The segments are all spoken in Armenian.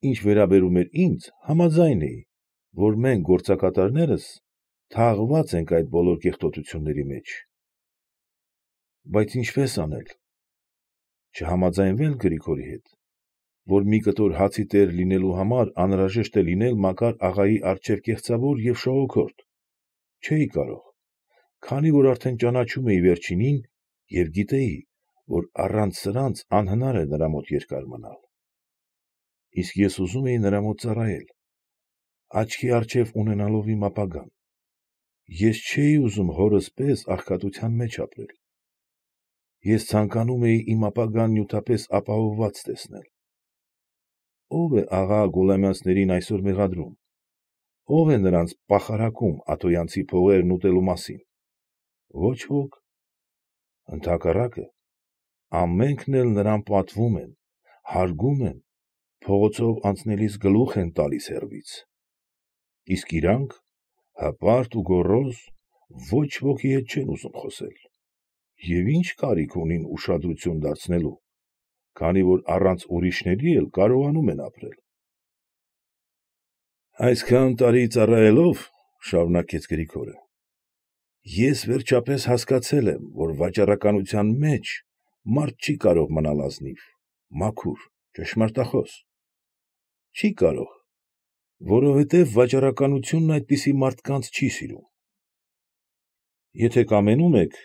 ինչ վերաբերում էր ինձ, համաձայն էի, որ մենք գործակատարներս թաղված ենք այդ բոլոր կեղտոտությունների մեջ։ Բայց ինչպե՞ս անել։ Չհամաձայնվել Գրիգորի հետ, որ մի կտոր հացի տեր լինելու համար անհրաժեշտ է լինել Մակար աղայի առջև կեղծավոր և շողոքորթ, չէի կարող, քանի որ արդեն ճանաչում էի վերջինին և գիտեի, որ առանց սրանց անհնար է նրա մոտ երկար մնալ։ Իսկ ես ուզում էի նրա մոտ ծառայել, աչքի առջև ունենալով իմ ապագան։ Ես չէի ուզում հորս պես աղքատության մեջ ապրել։ Ես ցանկանում էի իմ ապագան նյութապես ապահովված տեսնել։ Ո՞վ է աղա Գուլամյանցներին այսօր մեղադրում, ո՞վ է նրանց պախարակում աթոյանցի փողերն ուտելու մասին։ Ոչ ոք։ Ընդհակառակը, ամենքն էլ նրան պատվում են, հարգում են, փողոցով անցնելիս գլուխ են տալիս հեռվից։ Իսկ իրանք, հպարտ ու գոռոզ, ոչ ոքի հետ չեն ուզում խոսել։ Եվ ի՞նչ կարիք ունին ուշադրություն դարձնելու, քանի որ առանց ուրիշների էլ կարողանում են ապրել։ Այսքան տարի ծառայելով, ֊ շարունակեց Գրիգորը, ֊ ես վերջապես հասկացել եմ, որ վաճառականության մեջ մարդ չի կարող մնալ ազնիվ, մաքուր, ճշմարտախոս։ Չի կարող, որովհետև վաճառականությունն այդպիսի մարդկանց չի սիրում։ Եթե կամենում եք,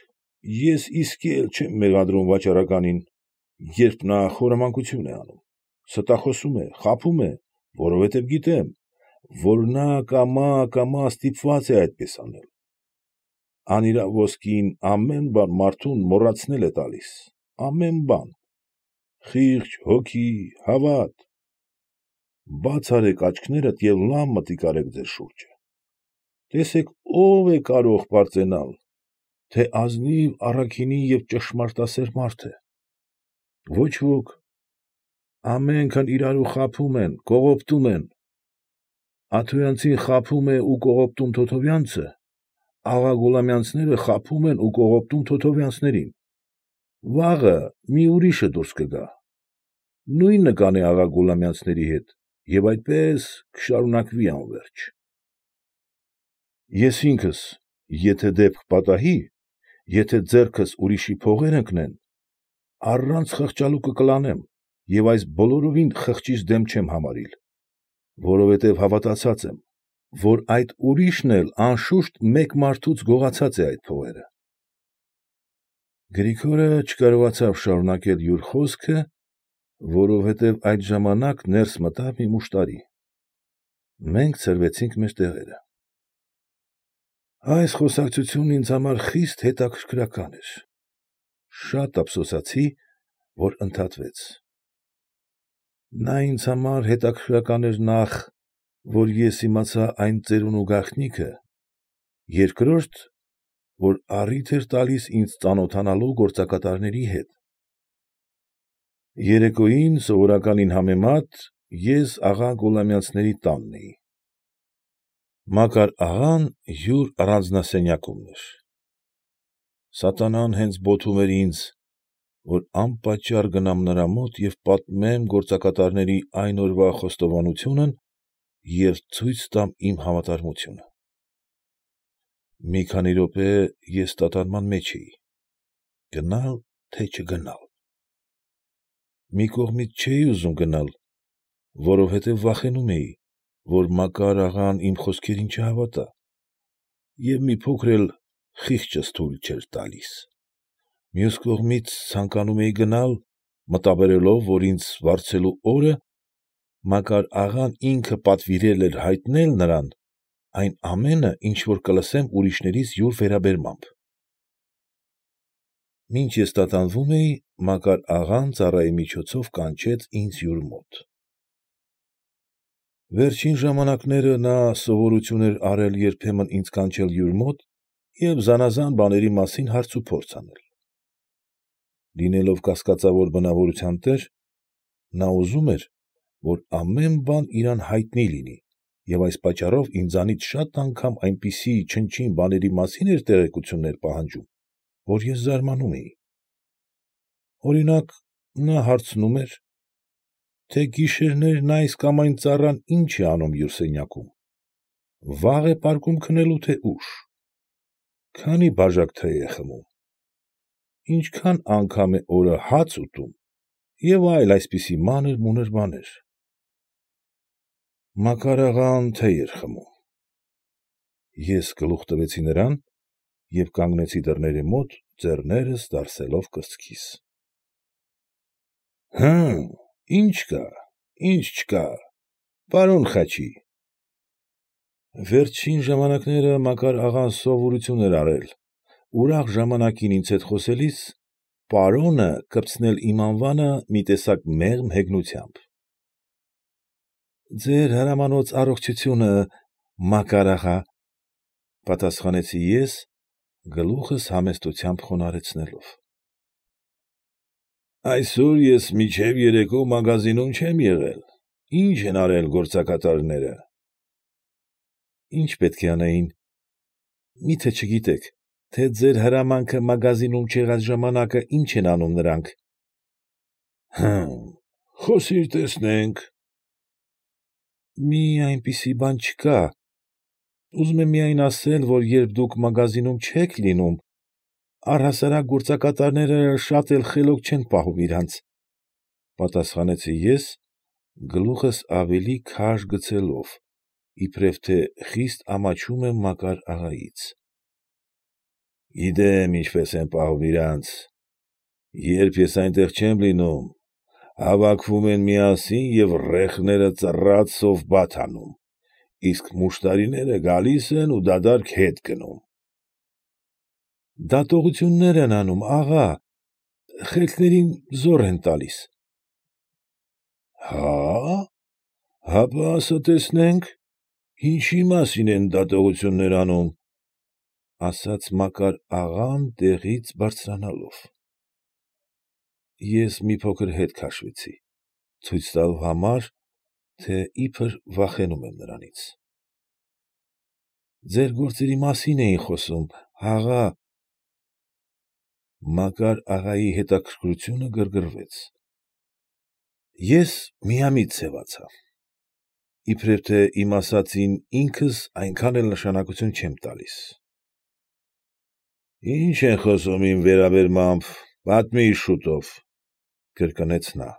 ես իսկի էլ չեմ մեղադրում վաճառականին, երբ նա խորամանկություն է անում, ստախոսում է, խաբում է, որովհետև գիտեմ, որ նա կամա ստիպված է այդպես անել։ Անիրավ ոսկին ամեն բան մարդուն մոռացնել է տալիս, ամեն բան, խիղճ, հոգի, հավատ։ Բաց արեք աչքներդ և լավ մտիկ արեք ձեր շուրջը։ Տեսեք ով է կարող պարծենալ, թե ազնիվ, առաքինի և ճշմարտասեր մարդ է։ Ոչ ոք։ Ամենքն իրարու խաբում են, կողոպտում են։ Աթոյանցին խաբում է ու կողոպտում Թոթովյանցը, աղա Գուլամյանցները խաբում են ու կողոպտում Թոթովյանցներին։ Վաղը մի ուրիշը դուրս կգա, նույնը կանե աղա Գուլամյանցների հետ և այդպես կշարունակվի անվերջ։ Ես ինքս, եթե դեպք պատահի, եթե ձեռքս ուրիշի փողեր ընկնեն, առանց խղճալուկը կլանեմ և այս բոլորովին խղճիս դեմ չեմ համարիլ, որովհետև հավատացած եմ, որ այդ ուրիշն էլ անշուշտ մեկ մարդուց գողացած է այդ փողերը։ Գրիգորը չկարողացավ շարունակել յուր խոսքը, որովհետև այդ ժամանակ ներս մտավ մի մուշտարի։ Մենք ցրվեցինք մեր տեղերը։ Այս խոսակցությունն ինձ համար խիստ հետաքրքրական էր։ Շատ ափսոսացի, որ ընդհատվեց։ Նա ինձ համար հետաքրքրական էր նախ, որ ես իմացա այն ծերունու գաղտնիքը, երկրորդ, որ առիթ էր տալիս ինձ ծանոթանալու գործակատարների հետ։ Երեկոյին սովորականին համեմատ ես աղա Գուլամյանցների տանն էի։ Մակար աղան յուր առանձնասենյակումն էր։ Սատանան հենց բոթում էր ինձ, որ անպատճառ գնամ նրա մոտ և պատմեմ գործակատարների այն օրվա խոստովանությունն և ցույց տամ իմ հավատարմությունը։ Մի քանի րոպե ես տատանման մեջ էի, գնալ, թե չգնալ։ Մի կողմից չէի ուզում գնալ, որովհետև վախենում էի, որ Մակար աղան իմ խոսքերին չհավատա և մի փոքր էլ խիղճս թույլ չէր տալիս։ Մյուս կողմից ցանկանում էի գնալ, մտաբերելով, որ ինձ վարձելու օրը Մակար աղան ինքը պատվիրել էր հայտնել նրան այն ամենը, ինչ որ կլսեմ ուրիշներից յուր վերաբերմամբ։ Մինչ ես տատանվում էի, Մակար աղան ծառայի միջոցով կանչեց ինձ յուր մոտ։ Վերջին ժամանակները նա սովորություն էր արել երբեմն ինձ կանչել յուր մոտ և զանաղան բաների մասին հարցուփորձ անել։ Լինելով կասկածավոր բնավորության տեր, նա ուզում էր, որ ամեն բան իրան հայտնի լինի և այս պատճառով ինձանից շատ անգամ այնպիսի չնչին բաների մասին էր տեղեկություններ պահանջում, որ ես զարմանում էի։ Օրինակ, նա հարցնում էր, թե գիշերներն այս կամ այն ծառան ինչ է անում յուր սենյակում, վաղ է պարկում քնելու, թե ուշ, քանի բաժակ թեյ է խմում, ինչքան անգամ է օրը հաց ուտում և այլ այսպիսի մանր֊մունր բաներ։ Մակար աղան թեյ էր խմում։ Ես գլուխ տվեցի նրան և կանգնեցի դռների մոտ, ձեռներս դարսելով կրծքիս։ Հըմ, ի՞նչ կա, ի՞նչ չկա, պարոն Խաչի։ Վերջին ժամանակները Մակար աղան սովորություն էր արել ուրախ ժամանակին ինձ հետ խոսելիս պարոնը կպցնել իմ անվանը մի տեսակ մեղմ հեգնությամբ։ Ձեր հրամանոց առողջությունը, Մակար աղա, պատասխանեցի ես, գլուխս համեստությամբ խոնարհեցնելով։ Այսօր ես մինչև երեկո մագազինում չեմ եղել, ի՞նչ են արել գործակատարները։ Ի՞նչ պետք է անեին, մի՞թե չգիտեք, թե ձեր հրամանքը մագազինում չեղած ժամանակը ինչ են անում նրանք։ Հըմ, խոսիր տեսնենք։ Մի այնպիսի բան չկա, ուզում եմ միայն ասել, որ երբ դուք մագազինում չեք լինում, առհասարակ գործակատարները շատ էլ խելոք չեն պահում իրանց, պատասխանեցի ես, գլուխս ավելի քաշ գցելով, իբրև թե խիստ ամաչում եմ Մակար աղայից։ Գիտեմ ինչպես են պահում իրանց, երբ ես այնտեղ չեմ լինում, հավաքվում են միասին և ռեխները ծռած սովբաթ անում, իսկ մուշտարիները գալիս են ու դատարկ հետ գնում։ Դատողություններ են անում, աղա, խելքներին զոռ են տալիս։ Հա՞, հապա ասա տեսնենք, ինչի մասին են դատողություններ անում, ֊ ասաց Մակար աղան տեղից բարձրանալով։ Ես մի փոքր հետ քաշվեցի, ցույց տալու համար, թե իբր վախենում եմ նրանից։ Ձեր գործերի մասին էին խոսում, աղա։ Մակար աղայի հետաքրքրությունը գրգռվեց։ Ես միամիտ սևացա, իբրև թե իմ ասածին ինքս այնքան էլ նշանակություն չեմ տալիս։ Ի՞նչ են խոսում իմ վերաբերմամբ, պատմիր շուտով, ֊ կրկնեց նա։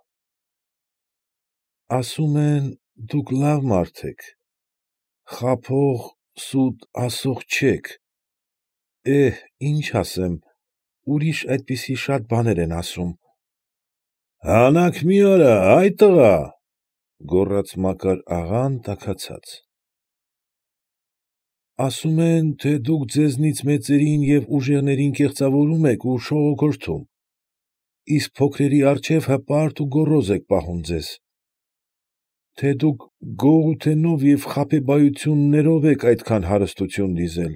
Ասում են, դուք լավ մարդ եք, խաբող, սուտ ասող չեք, ինչ ասեմ, ուրիշ այդպիսի շատ բաներ են ասում։ Հանաք մի արա, ա՛յ տղա, ֊ գոռաց Մակար աղան տաքացած։ Ասում են, թե դուք ձեզնից մեծերին և ուժեղներին կեղծավորում եք ու շողոքորթում, իսկ փոքրերի առջև հպարտ ու գոռոզ եք պահում ձեզ, թե դուք գողութենով և խաբեբայություններով եք այդքան հարստություն դիզել։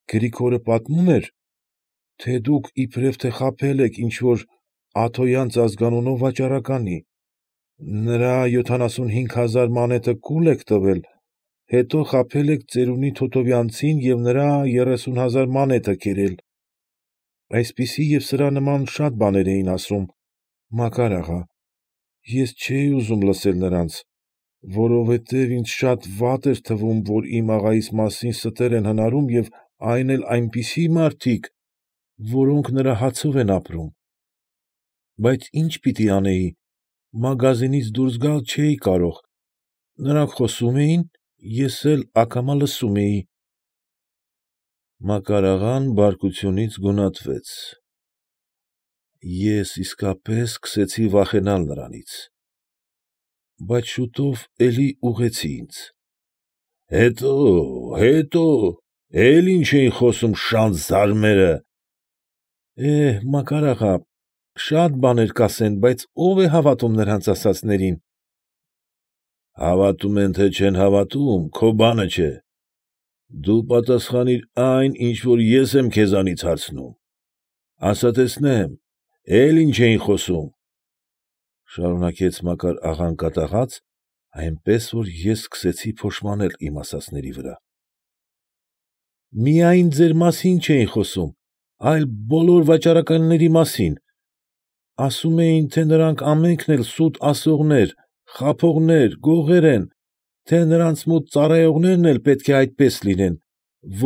Գրիգորը պատմում էր, թե դուք իբրև թե խաբել եք ինչ֊որ Աթոյանց ազգանունով վաճառականի, նրա 75,000 մանեթը կուլ եք տվել, հետո խաբել եք ծերունի Թոթովյանցին և նրա 30,000 մանեթը կերել։ Այսպիսի և սրա նման շատ բաներ էին ասում, Մակար աղա, ես չէի ուզում լսել նրանց, որովհետև ինձ շատ վատ էր թվում, որ իմ աղայիս մասին ստեր են հնարում և այն էլ այնպիսի մարդիկ, որոնք նրա հացով են ապրում։ Բայց ի՞նչ պիտի անեի, մագազինից դուրս գալ չէի կարող, նրանք խոսում էին, ես էլ ակամա լսում էի։ Մակար աղան բարկությունից գունատվեց։ Ես իսկապես սկսեցի վախենալ նրանից, բայց շուտով էլի ուղղեցի ինձ։ Հետո, էլ ի՞նչ էին խոսում շանթ զարմերը։ Մակար աղա, շատ բաներ կասեն, բայց ո՞վ է հավատում նրանց ասածներին։ Հավատում են, թե չեն հավատում, քո բանը չէ, դու պատասխանիր այն, ինչ որ ես եմ քեզանից հարցնում, ասա տեսնեմ, էլ ի՞նչ էին խոսում, ֊ շարունակեց Մակար աղան կատաղած, այնպես որ ես սկսեցի փոշմանել իմ ասածների վրա։ Միայն ձեր մասին չէին խոսում, այլ բոլոր վաճառականների մասին, ասում էին, թե նրանք ամենքն էլ սուտ ասողներ, խաբողներ, գողեր են, թե նրանց մոտ ծառայողներն էլ պետք է այդպես լինեն,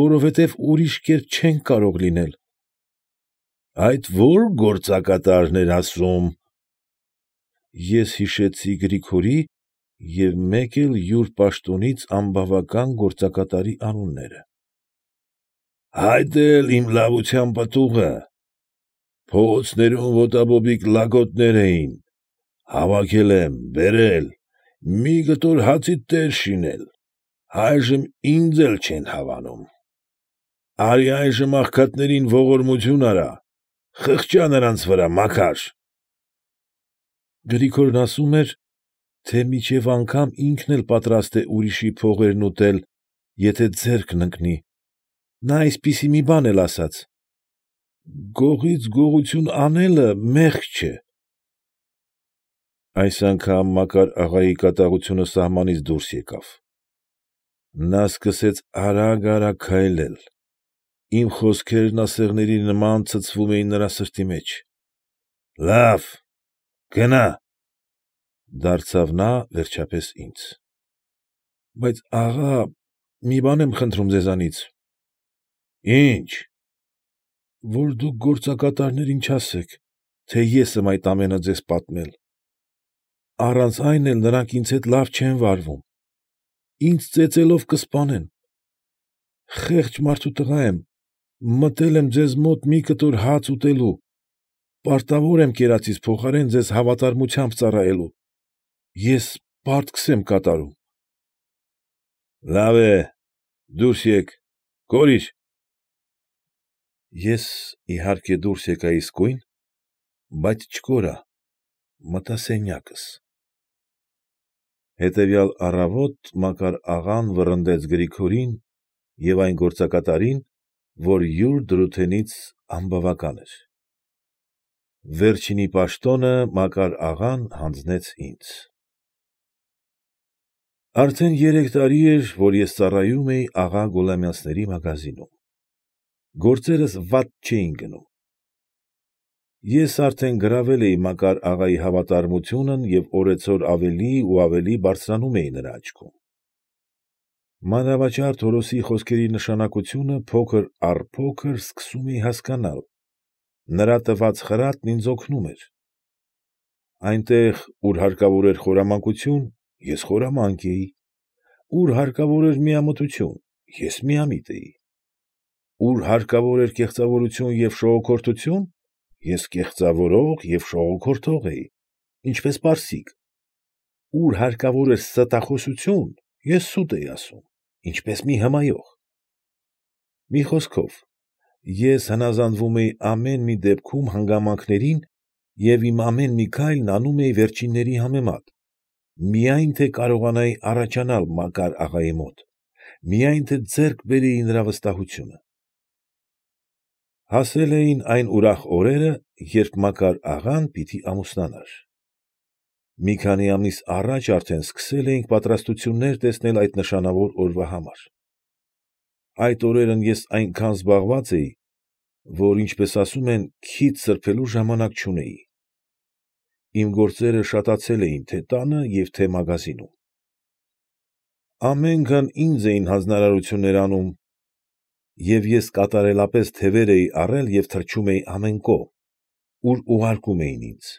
որովհետև ուրիշ կերպ չեն կարող լինել։ ֊ Այդ ո՞ր գործակատարն էր ասում։ Ես հիշեցի Գրիգորի և մեկ էլ յուր պաշտոնից անբավական գործակատարի անունները։ ֊ Այդ էլ իմ լավության պտուղը։ Փողոցներում ոտաբոբիկ լակոտներ էին, հավաքել եմ, բերել, մի կտոր հացի տեր շինել, այժմ ինձ էլ չեն հավանում։ Արի այժմ աղքատներին ողորմություն արա, խղճա նրանց վրա, Մակար։ Գրիգորն ասում էր, թե մինչև անգամ ինքն էլ պատրաստ է ուրիշի փողերն ուտել, եթե ձեռքն ընկնի, նա այսպիսի մի բան էլ ասաց. «Գողից գողություն անելը մեղք չէ»։ Այս անգամ Մակար աղայի կատաղությունը սահմանից դուրս եկավ. նա սկսեց արագ֊արագ քայլել, իմ խոսքերն ասեղների նման ցցվում էին նրա սրտի մեջ։ ֊ Լավ, գնա, ֊ դարձավ նա վերջապես ինձ։ ֊ Բայց աղա, մի բան եմ խնդրում ձեզանից։ ֊ Ի՞նչ։ ֊ Որ դուք գործակատարներին չասեք, թե ես եմ այդ ամենը ձեզ պատմել. առանց այն էլ նրանք ինձ հետ լավ չեն վարվում, ինձ ծեծելով կսպանեն։ Խեղճ մարդու տղա եմ, մտել եմ ձեզ մոտ մի կտոր հաց ուտելու, պարտավոր եմ կերածիս փոխարեն ձեզ հավատարմությամբ ծառայելու, ես պարտքս եմ կատարում։ ֊ Լավ է, դուրս եկ, կորիր։ Ես, իհարկե, դուրս եկա իսկույն, բայց չկորա, մտա սենյակս։ Հետևյալ առավոտ Մակար աղան վռնդեց Գրիգորին և այն գործակատարին, որ յուր դրութենից անբավական էր։ Վերջինի պաշտոնը Մակար աղան հանձնեց ինձ։ Արդեն 3 տարի էր, որ ես ծառայում էի աղա Գուլամյանցների մագազինում։ Գործերս վատ չէին գնում։ Ես արդեն գրավել էի Մակար աղայի հավատարմությունն և օրեցօր ավելի ու ավելի բարձրանում էի նրա աչքում։ Մանրավաճառ Թորոսի խոսքերի նշանակությունը փոքր առ փոքր սկսում էի հասկանալ, նրա տված խրատն ինձ օգնում էր։ Այնտեղ, ուր հարկավոր էր խորամանկություն, ես խորամանկ էի, ուր հարկավոր էր միամտություն, ես միամիտ էի, ուր հարկավոր էր կեղծավորություն և շողոքորթություն, ես կեղծավորող և շողոքորթող էի, ինչպես պարսիկ, ուր հարկավոր էր ստախոսություն, ես սուտ էի ասում, ինչպես մի հմայող։ Մի խոսքով, ես հնազանդվում էի ամեն մի դեպքում հանգամանքներին և իմ ամեն մի քայլն անում էի վերջինների համեմատ, միայն թե կարողանայի առաջանալ Մակար աղայի մոտ, միայն թե ձեռք բերեի նրա վստահությունը։ Հասել էին այն ուրախ օրերը, երբ Մակար աղան պիտի ամուսնանար։ Մի քանի ամիս առաջ արդեն սկսել էինք պատրաստություններ տեսնել այդ նշանավոր օրվա համար։ Այդ օրերն ես այնքան զբաղված էի, որ, ինչպես ասում են, քիթ սրբելու ժամանակ չունեի։ Իմ գործերը շատացել էին թե՛ տանը և թե՛ մագազինում։ Ամենքն ինձ էին հանձնարարություններ անում, և ես կատարելապես թևեր էի առել և թռչում էի ամեն կողմ, ուր ուղարկում էին ինձ։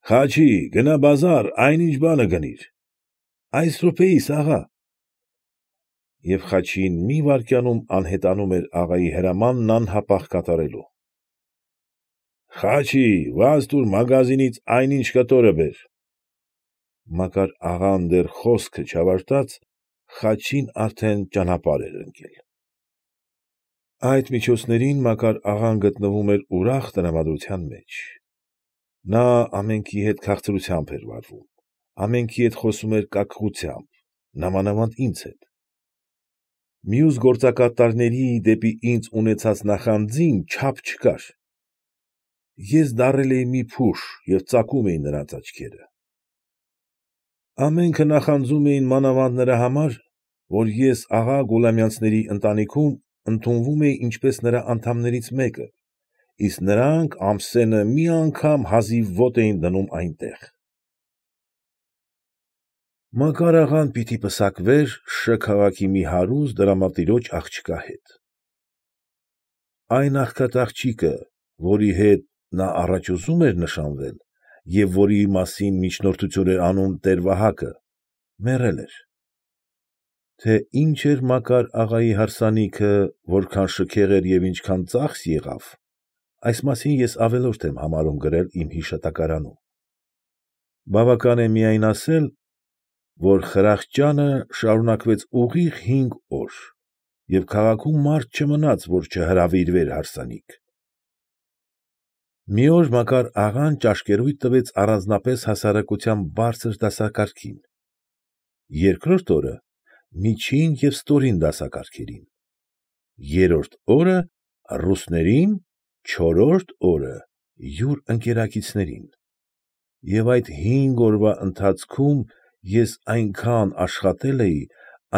֊ Գնա բազար, այնինչ բանը գնիր։ ֊ Այս րոպեիս, աղա։ Եվ Խաչին մի վայրկյանում անհետանում էր աղայի հրամանն անհապաղ կատարելու։ ֊ Խաչի, վազ տուր մագազինից այնինչ կտորը բեր։ Մակար աղան դեռ խոսքը չավարտած, Խաչին արդեն ճանապարհ էր ընկել։ Այդ միջոցներին Մակար աղան գտնվում էր ուրախ տրամադրության մեջ։ Նա ամենքի հետ քաղցրությամբ էր վարվում, ամենքի հետ խոսում էր կակղությամբ, նամանավանդ ինձ հետ։ Մյուս գործակատարների դեպի ինձ ունեցած նախանձին չափ չկար։ Ես դառել էի մի փուշ և ծակում էի նրանց աչքերը։ Ամենքը նախանձում էին մանավանդ նրա համար, որ ես աղա Գուլամյանցների ընտանիքում ընդունվում էի ինչպես նրա անդամներից մեկը իսկ նրանք ամսենը մի անգամ հազիվ ոտ էին դնում այնտեղ։ Մակար աղան պիտի պսակվեր Շ քաղաքի մի հարուստ դրամատիրոջ աղջկա հետ։ Այն աղքատ-աղջիկը, որի հետ նա առաջ ուզում էր նշանվել և որի մասին միջնորդություն էր անում տեր֊Վահակը, մեռել էր։ Թե ինչ էր Մակար աղայի հարսանիքը, որքան շքեղ էր և ինչքան ծախս եղավ, այս մասին ես ավելորդ եմ համարում գրել իմ հիշատակարանում։ Բավական է միայն ասել, որ խրախճանը շարունակվեց ուղիղ 5 օր, և քաղաքում մարդ չմնաց, որ չհրավիրվեր հարսանիք։ Մի օր Մակար աղան ճաշկերույթ տվեց առանձնապես հասարակության բարձր դասակարգին, երկրորդ օրը միջին և ստորին դասակարգերին, երրորդ օրը ռուսներին, չորրորդ օրը յուր ընկերակիցներին, և այդ 5 օրվա ընթացքում ես այնքան աշխատել էի,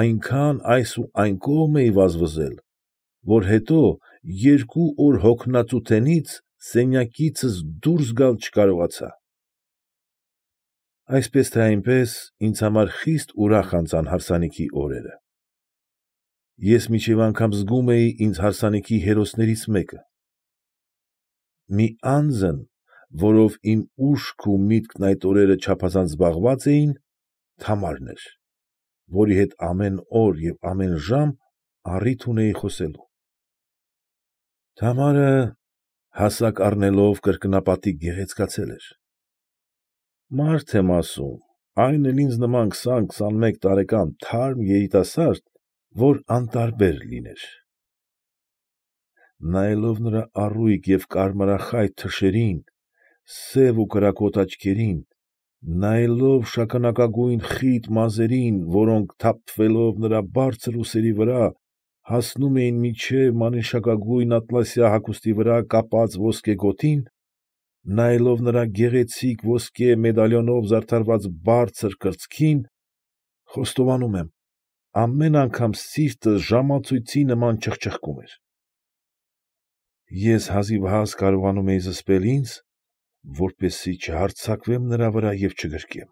այնքան այս ու այն կողմ էի վազվզել, որ հետո 2 օր հոգնածութենից սենյակիցս դուրս գալ չկարողացա։ Այսպես թե այնպես ինձ համար խիստ ուրախ անցան հարսանիքի օրերը։ Ես մինչև անգամ զգում էի ինձ հարսանիքի հերոսներից մեկը։ Մի անձն, որով իմ ուշքն ու միտքն այդ օրերը չափազանց զբաղված էին, Թամարն էր, որի հետ ամեն օր և ամեն ժամ առիթ ունեի խոսելու։ Թամարը, հասակ առնելով, կրկնապատիկ գեղեցկացել էր։ Մարդ եմ ասում, այն էլ ինձ նման 20-21 տարեկան թարմ երիտասարդ, որ անտարբեր լիներ։ Նայելով նրա առույգ և կարմրախայտ թշերին, սև ու կրակոտ աչքերին, նայելով շագանակագույն խիտ մազերին, որոնք թափվելով նրա բարձր ուսերի վրա, հասնում էին մինչև մանիշակագույն ատլասյա հագուստի վրա կապած ոսկե գոտին, նայելով նրա գեղեցիկ ոսկե մեդալիոնով զարդարված բարձր կրծքին, խոստովանում եմ, ամեն անգամ սիրտս ժամացույցի նման չխչխկում էր։ Ես հազիվհազ կարողանում էի զսպել ինձ, որպեսզի չհարձակվեմ նրա վրա և չգրկեմ։